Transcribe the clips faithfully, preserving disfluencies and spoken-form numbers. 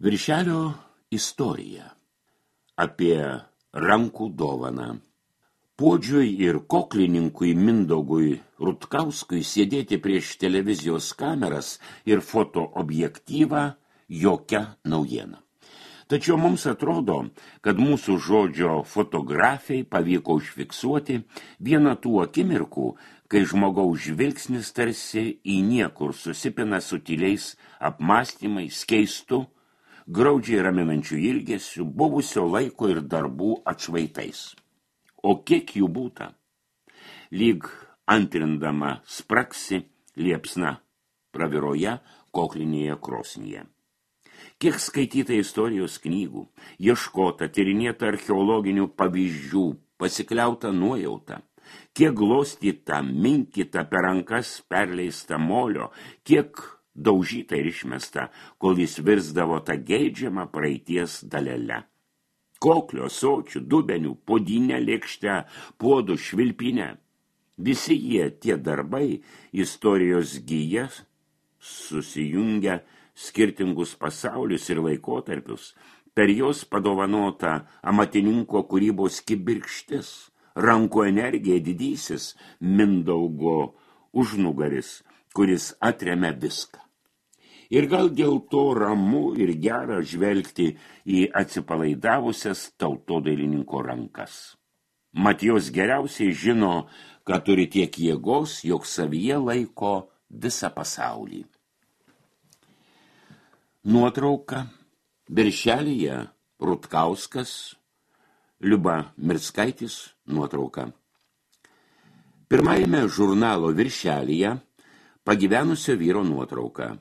Viršelio istorija apie rankų dovaną. Puodžiui ir koklininkui Mindaugui Rutkauskui sėdėti prieš televizijos kameras ir fotoobjektyvą jokia naujiena. Tačiau mums atrodo, kad mūsų žodžio fotografijai pavyko užfiksuoti vieną tų akimirkų, kai žmogaus žvilgsnis tarsi į niekur susipina su tyliais apmąstymais, keistu, graudžiai raminančių ilgesių, buvusio laiko ir darbų atšvaitais. O kiek jų būta? Lyg antrindama spraksi liepsna praviroje koklinėje krosnyje. Kiek skaityta istorijos knygų, ieškota, tyrinėta archeologinių pavyzdžių, pasikliauta nuojauta, kiek glostyta, minkita per rankas perleista molio, kiek daužyta ir išmesta, kol jis virsdavo tą geidžiamą praeities dalelę. Koklio, sočių, dubenių, podinę, lėkštę, puodų, švilpinę. Visi jie, tie darbai, istorijos gyja, susijungia skirtingus pasaulius ir laikotarpius, per jos padovanota amatininko kūrybos kibirkštis, rankų energija didysis Mindaugo užnugaris, kuris atremia viską. Ir gal dėl to ramu ir gera žvelgti į atsipalaidavusias tautodailininko rankas. Mat jos geriausiai žino, kad turi tiek jėgos, jog savyje laiko visą pasaulį. Nuotrauka. Viršelyje Rutkauskas, Liuba Mirskaitis nuotrauka. Pirmajame žurnalo viršelyje pagyvenusio vyro nuotrauka.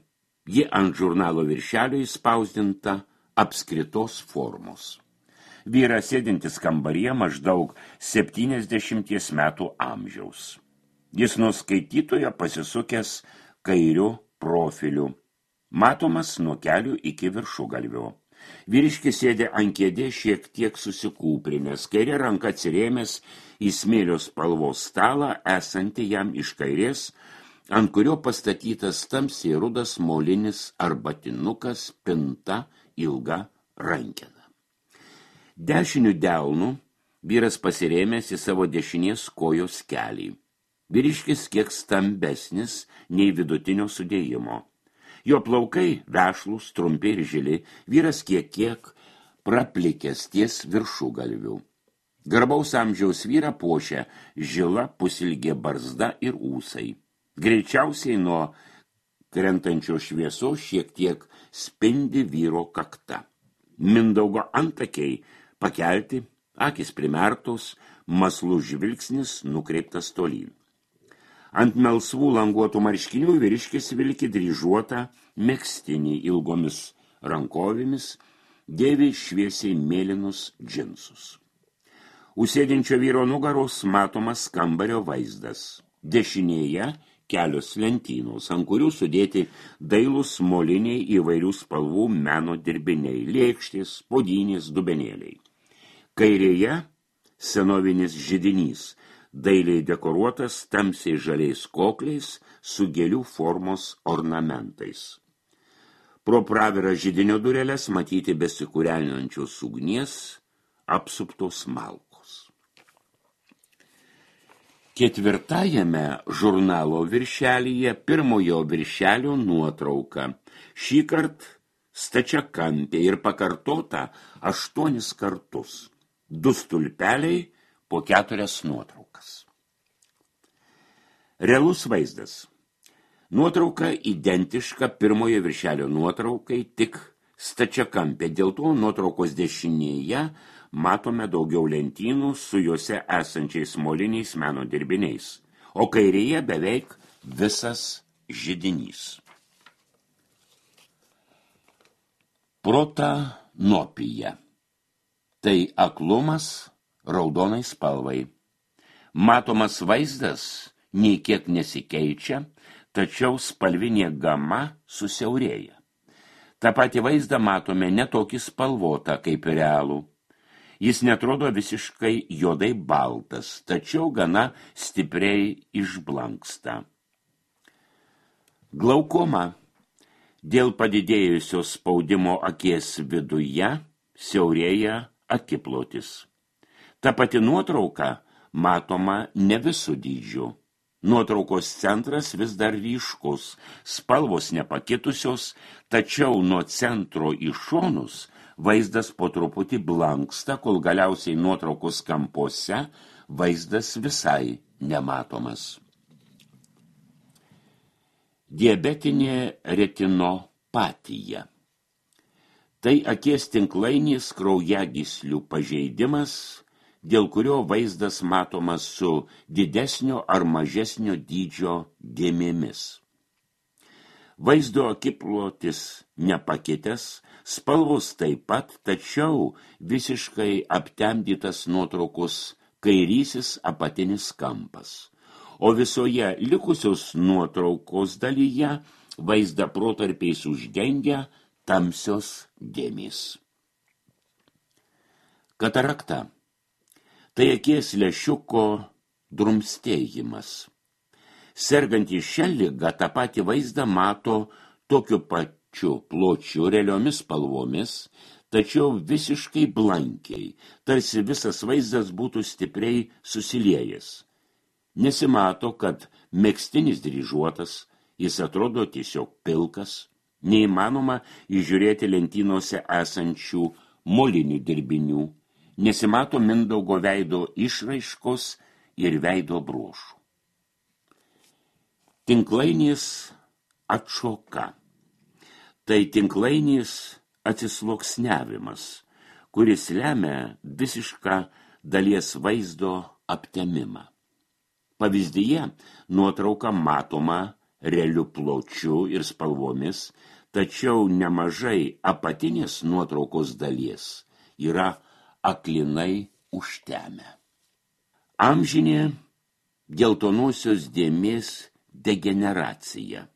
Ji ant žurnalo viršelio įspausdinta apskritos formos. Vyras sėdintis kambaryje maždaug septyniasdešimties metų amžiaus. Jis nuo skaitytojo pasisukęs kairiu profiliu, matomas nuo kelių iki viršugalvio. Vyriškis sėdė ant kėdės šiek tiek susikūprinęs, kairė ranka atsirėmęs į smėlio spalvos stalą, esantį jam iš kairės, ant kurio pastatytas tamsiai rudas molinis arbatinukas, pinta, ilga rankena. Dešiniu delnu vyras pasirėmęs į savo dešinės kojos kelį. Vyriškis kiek stambesnis nei vidutinio sudėjimo. Jo plaukai vešlūs, trumpi ir žili, vyras kiek kiek praplikęs ties viršugalviu. Garbaus amžiaus vyrą puošia žila pusilgė barzda ir ūsai. Greičiausiai nuo krentančios šviesos šiek tiek spindi vyro kakta. Mindaugo antakiai pakelti, akis primertos, maslus žvilgsnis nukreiptas tolyn. Ant melsvų languotų marškinių vyriškis vilki dryžuotą megztinį ilgomis rankovėmis, dėvi šviesiai mėlynus džinsus. Užsėdinčio vyro nugaros matomas kambario vaizdas. Dešinėje kelios lentynos, ant kurių sudėti dailūs moliniai įvairių spalvų meno dirbiniai, lėkštės, podinės, dubenėliai. Kairėje senovinis židinys, dailiai dekoruotas tamsiai žaliais kokliais su gėlių formos ornamentais. Pro pravirą židinio dureles matyti besikūrenančios ugnies apsuptos malkos. Ketvirtajame žurnalo viršelyje pirmojo viršelio nuotrauka, šįkart stačiakampė ir pakartota aštuonis kartus. Du stulpeliai po keturias nuotraukas. Realus vaizdas. Nuotrauka identiška pirmojo viršelio nuotraukai, tik stačiakampė. Dėl to nuotraukos dešinėje matome daugiau lentynų su juose esančiais moliniais meno dirbiniais, o kairėje beveik visas židinys. Protanopija. Tai aklumas raudonai spalvai. Matomas vaizdas nei kiek nesikeičia, tačiau spalvinė gama susiaurėja. Ta pati vaizdą matome netokį spalvotą kaip realų. Jis netrodo visiškai juodai baltas, tačiau gana stipriai išblanksta. Glaukoma. Dėl padidėjusio spaudimo akies viduje siaurėja akiplotis. Ta pati nuotrauka matoma ne visų dydžių. Nuotraukos centras vis dar ryškus, spalvos nepakitusios, tačiau nuo centro į šonus vaizdas po truputį blanksta, kol galiausiai nuotraukos kampuose vaizdas visai nematomas. Diabetinė retinopatija. Tai akies tinklainės kraujagyslių pažeidimas, dėl kurio vaizdas matomas su didesnio ar mažesnio dydžio dėmėmis. Vaizdo akiplotis nepakitęs, spalvos taip pat, tačiau visiškai aptemdytas nuotraukos kairysis apatinis kampas. O visoje likusios nuotraukos dalyje vaizdą protarpiais uždengia tamsios dėmės. Katarakta. Tai akies lęšiuko drumstėjimas. Sergantys šią ligą tą patį vaizdą mato tokiu pačiu pločiu realiomis spalvomis, tačiau visiškai blankiai, tarsi visas vaizdas būtų stipriai susiliejęs. Nesimato, kad megztinis dryžuotas, jis atrodo tiesiog pilkas, neįmanoma įžiūrėti lentynose esančių molinių dirbinių, nesimato Mindaugo veido išraiškos ir veido bruožų. Tinklainės atšoka. Tai tinklainės atsisluoksniavimas, kuris lemia visišką dalies vaizdo aptemimą. Pavyzdyje nuotrauka matoma realiu pločiu ir spalvomis, tačiau nemažai apatinės nuotraukos dalies yra aklinai užtemę. Amžinė geltonosios dėmės degeneracija.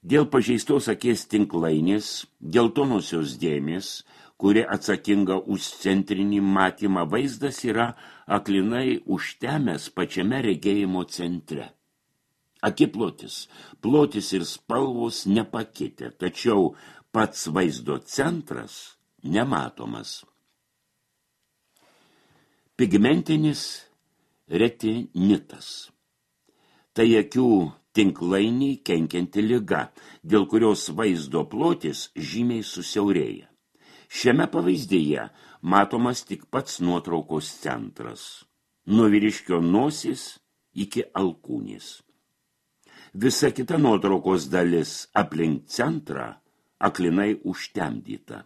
Dėl pažeistos akies tinklainės geltonosios dėmės, kuri atsakinga už centrinį matymą, vaizdas yra aklinai užtemęs pačiame regėjimo centre. Akiplotis, plotis ir spalvos nepakitę, tačiau pats vaizdo centras nematomas. Pigmentinis retinitas. Tai akių tinklainiai kenkianti liga, dėl kurios vaizdo plotis žymiai susiaurėja. Šiame pavyzdyje matomas tik pats nuotraukos centras, nuo vyriškio nosis iki alkūnės. Visa kita nuotraukos dalis aplink centrą aklinai užtemdyta.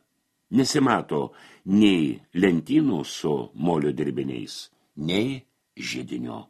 Nesimato nei lentynų su molio dirbiniais, nei židinio.